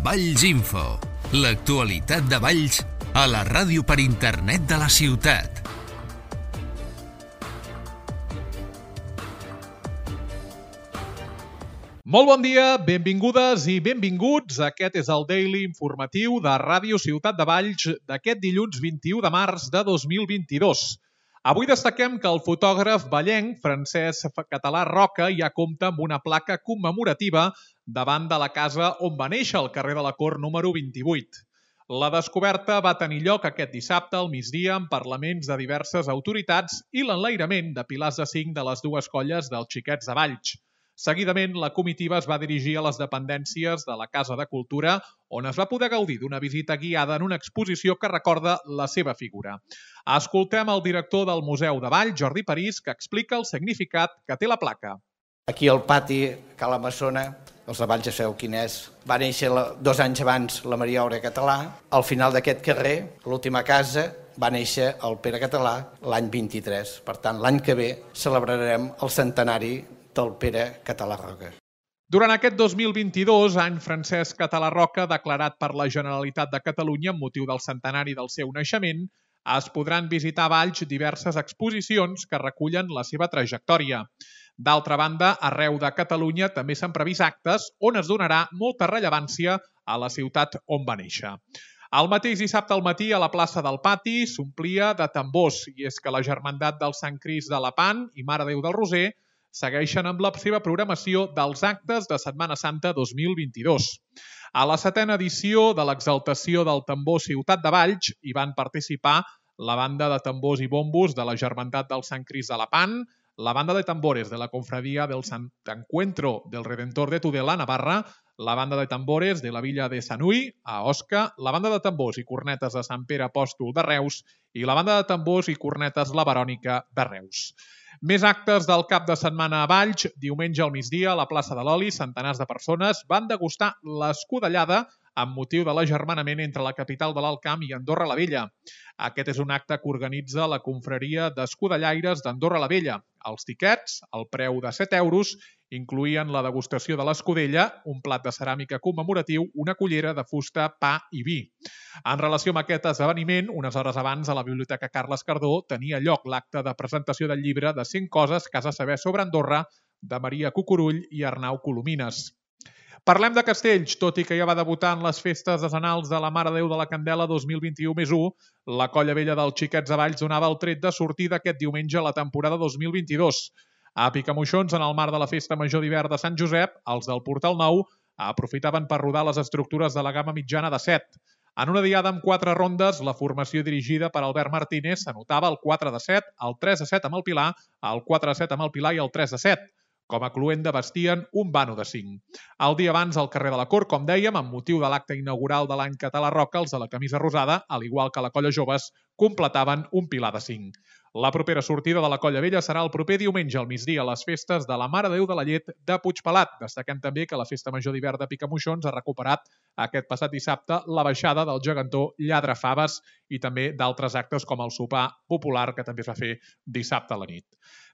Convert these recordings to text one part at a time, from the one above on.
Valls Info, l'actualitat de Valls a la ràdio per internet de la ciutat. Molt bon dia, benvingudes i benvinguts. Aquest és el Daily informatiu de Ràdio Ciutat de Valls d'aquest dilluns 21 de març de 2022. Avui destaquem que el fotògraf vallenc Francesc Català Roca ja compta amb una placa commemorativa davant de la casa on va néixer, al carrer de la Cort número 28. La descoberta va tenir lloc aquest dissabte al migdia amb parlaments de diverses autoritats i l'enlairament de pilars de cinc de les dues colles dels Xiquets de Valls. Seguidament, la comitiva es va dirigir a les dependències de la Casa de Cultura, on es va poder gaudir d'una visita guiada en una exposició que recorda la seva figura. Escoltem el director del Museu de Valls, Jordi París, que explica el significat que té la placa. Aquí al pati, a la Massona, els de Valls ja sabeu quin és, va néixer 2 anys abans la Maria Aura Català. Al final d'aquest carrer, l'última casa, va néixer el Pere Català l'any 23. Per tant, l'any que ve celebrarem el centenari del Pere Català Roca. Durant aquest 2022, any Francesc Català Roca, declarat per la Generalitat de Catalunya amb motiu del centenari del seu naixement, es podran visitar a Valls diverses exposicions que recullen la seva trajectòria. D'altra banda, arreu de Catalunya també s'han previst actes on es donarà molta rellevància a la ciutat on va néixer. El mateix dissabte al matí a la plaça del Pati s'omplia de tambors, i és que la Germandat del Sant Crist de Lepant i Mare Déu del Roser segueixen amb la seva programació dels actes de Setmana Santa 2022. A la 7a edició de l'exaltació del tambor Ciutat de Valls hi van participar la banda de tambors i bombos de la Germandat del Sant Crist de Lepant, la banda de tambores de la Confradia del Sant Encuentro del Redentor de Tudela, Navarra, la banda de tambores de la Villa de Sanui, a Osca, la banda de tambors i cornetes de Sant Pere Apòstol de Reus i la banda de tambors i cornetes La Verònica de Reus. Més actes del cap de setmana a Valls. Diumenge al migdia, a la plaça de l'Oli, centenars de persones van degustar l'escudellada amb motiu de l'agermanament entre la capital de l'Alt Camp i Andorra la Vella. Aquest és un acte que organitza la confraria d'escudellaires d'Andorra la Vella. Els tiquets, al preu de 7 euros, incloïen la degustació de l'escudella, un plat de ceràmica commemoratiu, una cullera de fusta, pa i vi. En relació amb aquest esdeveniment, unes hores abans a la Biblioteca Carles Cardó tenia lloc l'acte de presentació del llibre de 100 coses que has de saber sobre Andorra de Maria Cucurull i Arnau Colomines. Parlem de castells. Tot i que ja va debutar en les festes decenals de la Mare Déu de la Candela 2021+1, la Colla Vella dels Xiquets de Valls donava el tret de sortida aquest diumenge a la temporada 2022. A Picamoixons, en el marc de la Festa Major d'Hivern de Sant Josep, els del Portal Nou aprofitaven per rodar les estructures de la gamma mitjana de 7. En una diada amb 4 rondes, la formació dirigida per Albert Martínez s'anotava el 4 de 7, el 3 de 7 amb el Pilar, el 4 de 7 amb el Pilar i el 3 de 7. Com a cluenda vestien un vano de 5. El dia abans, al carrer de la Cort, com dèiem, amb motiu de l'acte inaugural de l'any Català Roca, els de la camisa rosada, al igual que la Colla Joves, completaven un pilar de 5. La propera sortida de la Colla Vella serà el proper diumenge al migdia a les festes de la Mare Déu de la Llet de Puigpelat. Destaquem també que la Festa Major d'Hivern de Picamoixons ha recuperat aquest passat dissabte la baixada del gegantó Lladre Faves i també d'altres actes com el sopar popular que també es va fer dissabte a la nit.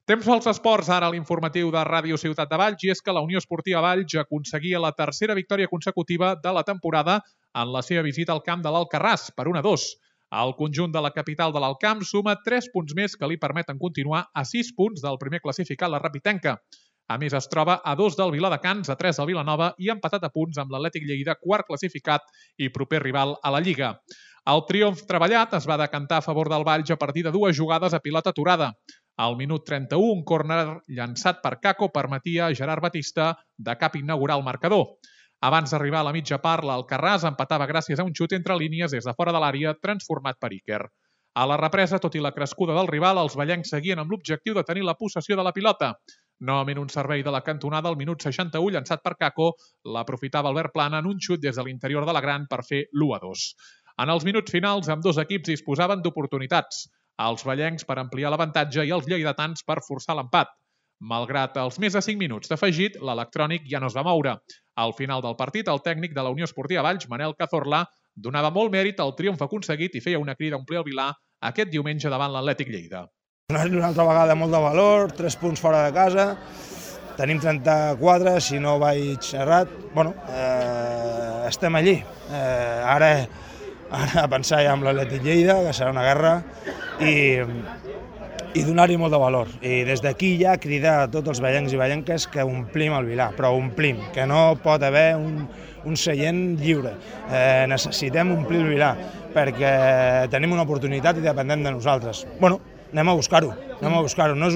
Temps pels esports, ara a l'informatiu de Ràdio Ciutat de Valls, i és que la Unió Esportiva Valls aconseguia la tercera victòria consecutiva de la temporada en la seva visita al camp de l'Alcarràs, per 1-2. El conjunt de la capital de l'Alt Camp suma 3 punts més que li permeten continuar a 6 punts del primer classificat, la Rapitenca. A més, es troba a 2 del Viladecans, a 3 del Vilanova i empatat a punts amb l'Atlètic Lleida, quart classificat i proper rival a la Lliga. El triomf treballat es va decantar a favor del Valls a partir de 2 jugades a pilota aturada. Al minut 31, un córner llançat per Caco permetia a Gerard Batista de cap inaugurar el marcador. Abans d'arribar a la mitja part, l'Alcarràs empatava gràcies a un xut entre línies des de fora de l'àrea transformat per Iker. A la represa, tot i la crescuda del rival, els vallencs seguien amb l'objectiu de tenir la possessió de la pilota. Novament un servei de la cantonada al minut 61, llançat per Caco, l'aprofitava Albert Plana en un xut des de l'interior de la gran per fer l'1-2. En els minuts finals, ambdós equips disposaven d'oportunitats. Els vallencs per ampliar l'avantatge i els lleidatans per forçar l'empat. Malgrat els més de 5 minuts d'afegit, l'electrònic ja no es va moure. Al final del partit, el tècnic de la Unió Esportiva Valls, Manel Cazorla, donava molt mèrit al triomf aconseguit i feia una crida a omplir el Vilar aquest diumenge davant l'Atlètic Lleida. Una altra vegada molt de valor, 3 punts fora de casa, tenim 34, si no vaig errat. estem allí. Ara a pensar ja amb l'Atlètic Lleida, que serà una guerra, i donar-hi molt de valor. I des d'aquí ja cridar a tots els vellencs i vellenques que omplim el Vilar, però omplim, que no pot haver un seient lliure. Necessitem omplir el Vilar, perquè tenim una oportunitat i dependem de nosaltres. Bueno, anem a buscar-ho, no és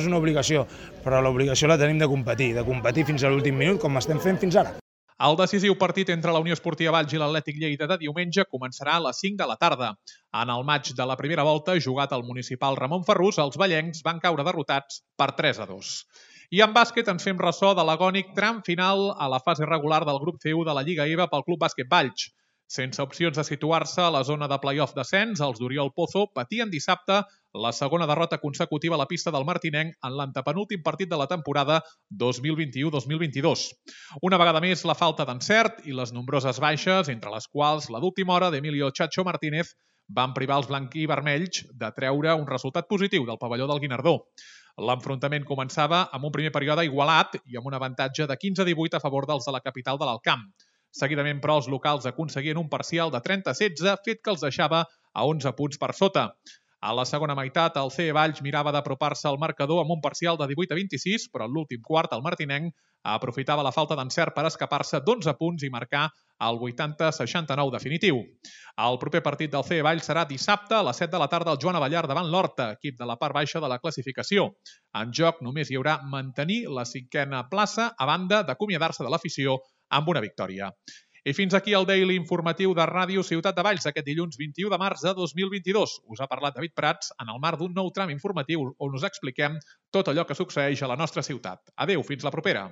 una obligació, però l'obligació la tenim de competir fins a l'últim minut, com estem fent fins ara. El decisiu partit entre la Unió Esportiva Valls i l'Atlètic Lleida de diumenge començarà a les 5 de la tarda. En el maig de la primera volta, jugat al municipal Ramon Ferrús, els vellencs van caure derrotats per 3-2. I en bàsquet ens fem ressò de l'agònic tram final a la fase regular del grup C1 de la Lliga EVA pel Club Bàsquet Valls. Sense opcions de situar-se a la zona de play-off descens, els d'Oriol Pozo patien dissabte la segona derrota consecutiva a la pista del Martinenc en l'antepenúltim partit de la temporada 2021-2022. Una vegada més, la falta d'encert i les nombroses baixes, entre les quals la d'última hora d'Emilio Chacho Martínez, van privar els blanquivermells de treure un resultat positiu del pavelló del Guinardó. L'enfrontament començava amb un primer període igualat i amb un avantatge de 15-18 a favor dels de la capital de l'Alt Camp. Seguidament, però, els locals aconseguien un parcial de 30-16, fet que els deixava a 11 punts per sota. A la segona meitat, el CE Valls mirava d'apropar-se al marcador amb un parcial de 18-26, però en l'últim quart el Martinenc aprofitava la falta d'encert per escapar-se d'11 punts i marcar el 80-69 definitiu. El proper partit del CE Valls serà dissabte a les 7 de la tarda al Joan Abellar davant l'Horta, equip de la part baixa de la classificació. En joc només hi haurà mantenir la 5a plaça a banda d'acomiadar-se de l'afició amb una victòria. I fins aquí el Daily informatiu de Ràdio Ciutat de Valls aquest dilluns 21 de març de 2022. Us ha parlat David Prats en el marc d'un nou tram informatiu on us expliquem tot allò que succeeix a la nostra ciutat. Adéu, fins la propera.